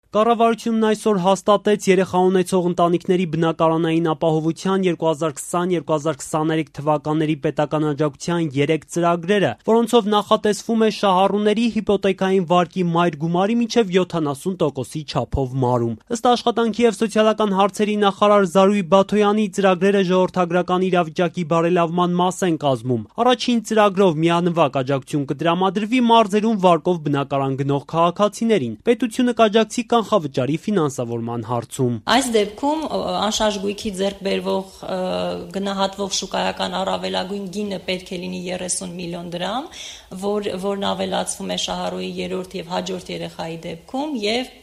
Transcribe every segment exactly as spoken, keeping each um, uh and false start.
Կառավարությունն այսօր հաստատեց երեխա ունեցող ընտանիքների բնակարանային ապահովության երկու հազար քսան - երկու հազար քսաներեք թվականների պետական աջակցության երեք ծրագրերը, որոնցով նախատեսվում է շահառուների հիպոթեքային վարկի մայր գումարի մինչև յոթանասուն տոկոսի չափով մարում։ Ըստ Աշխատանքի և սոցիալական հարցերի նախարար Զարուհի Բաթոյանի, ծրագրերը ժողովրդագրական իրավիճակի բարելավման մաս են կազմում։ Առաջին ծրագրով միանվագ աջակցություն կտրամադրվի մարզերում վարկով բնակարան գնող քաղաքացիներին։ Պետությունը կաջակցի կանխավճարի ֆինանսավորման հարցում։ Այս դեպքում անշարժ գույքի ձեռք բերվող գնահատվող շուկայական առավելագույն գինը պետք է լինի երեսուն միլիոն դրամ, որ, որն ավելացվում է շահառուի երրորդ և հաջորդ երեխայի դեպքում և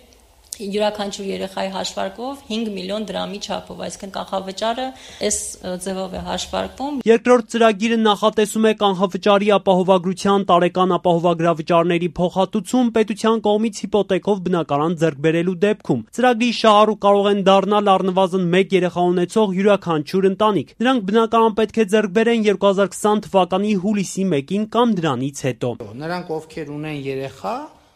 յուրաքանչյուր երեխայի հաշվարկով հինգ միլիոն դրամի չափով, այսինքն կանխավճարը այս ձևով է հաշվարկվում։ Երկրորդ ծրագիրը նախատեսում է կանխավճարի ապահովագրության տարեկան ապահովագրավճարների փոխհատուցում պետության կողմից հիպոթեքով բնակարան ձեռք բերելու դեպքում։ Ծրագրի շահառու կարող են դառնալ առնվազն մեկ երեխա ունեցող յուրաքանչյուր ընտանիք։ Նրանք բնակարան պետք է ձեռք բերեն երկու հազար քսան թվականի հուլիսի մեկին կամ դրանից հետո։ Նրանք, ովքեր ունեն երեխա,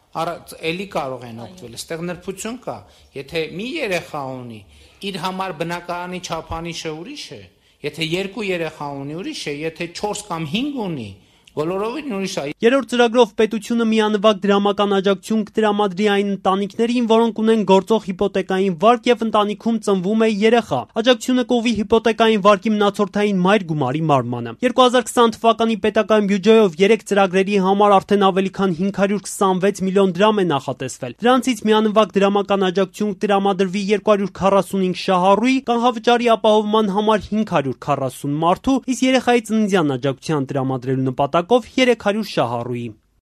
էլի կարող են օգտվել, այստեղ նրբություն կա, եթե մի երեխա ունի, իր համար բնակարանի չափանիշը ուրիշ է, եթե երկու երեխա ունի ուրիշ է, եթե չորս կամ հինգ ունի, բոլորովին ուրիշ է։ Երրորդ ծրագրով պետությունը միանվագ դրամական աջակցություն կտրամադրի այն ընտանիքներին, որոնք ունեն գործող հիպոթեկային վարկ և ընտանիքում ծնվում է երեխա։ Աջակցությունը կուղղվի հիպոթեկային վարկի մնացորդային մայր գումարի մարմանը։ երկու հազար քսան թվականի պետական բյուջեով երեք ծրագրերի համար արդեն ավելի քան հինգ հարյուր քսանվեց միլիոն դրամ է նախատեսվել։ Դրանցից միանվագ դրամական աջակցություն կտրամադրվի երկու հարյուր քառասունհինգ շահառուի, կանխավճարի ապահովման համար հինգ հարյուր քառասուն մարդու, իսկ երեխայի ծննդյան աջակցության տրամադրելու նպատակով երեք հարյուր շահառուի։